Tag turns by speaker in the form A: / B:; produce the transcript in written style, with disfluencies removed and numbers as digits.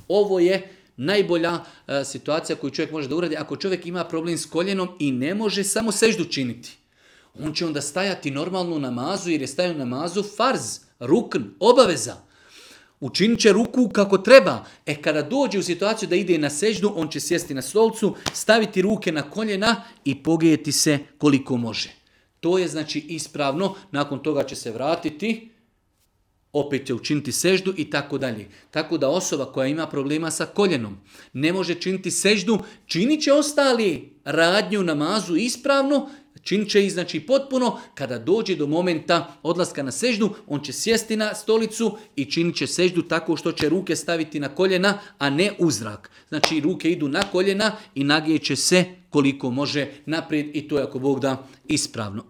A: Ovo je najbolja situacija koju čovjek može da uradi. Ako čovjek ima problem s koljenom i ne može samo seždu činiti, on će onda stajati normalno u namazu jer je stajao u namazu farz, rukn, obaveza. Učinit će ruku kako treba. Kada dođe u situaciju da ide na seždu, on će sjesti na stolcu, staviti ruke na koljena i pogrijeti se koliko može. To je znači ispravno. Nakon toga će se vratiti, opet će učiniti seždu i tako dalje. Tako da osoba koja ima problema sa koljenom ne može činiti seždu, činit će ostali radnju u namazu ispravno, činit će ih znači potpuno. Kada dođe do momenta odlaska na seždu, on će sjesti na stolicu i činit će seždu tako što će ruke staviti na koljena, a ne u zrak. Znači ruke idu na koljena i nagijeće se koliko može naprijed i to je ako Bog da ispravno.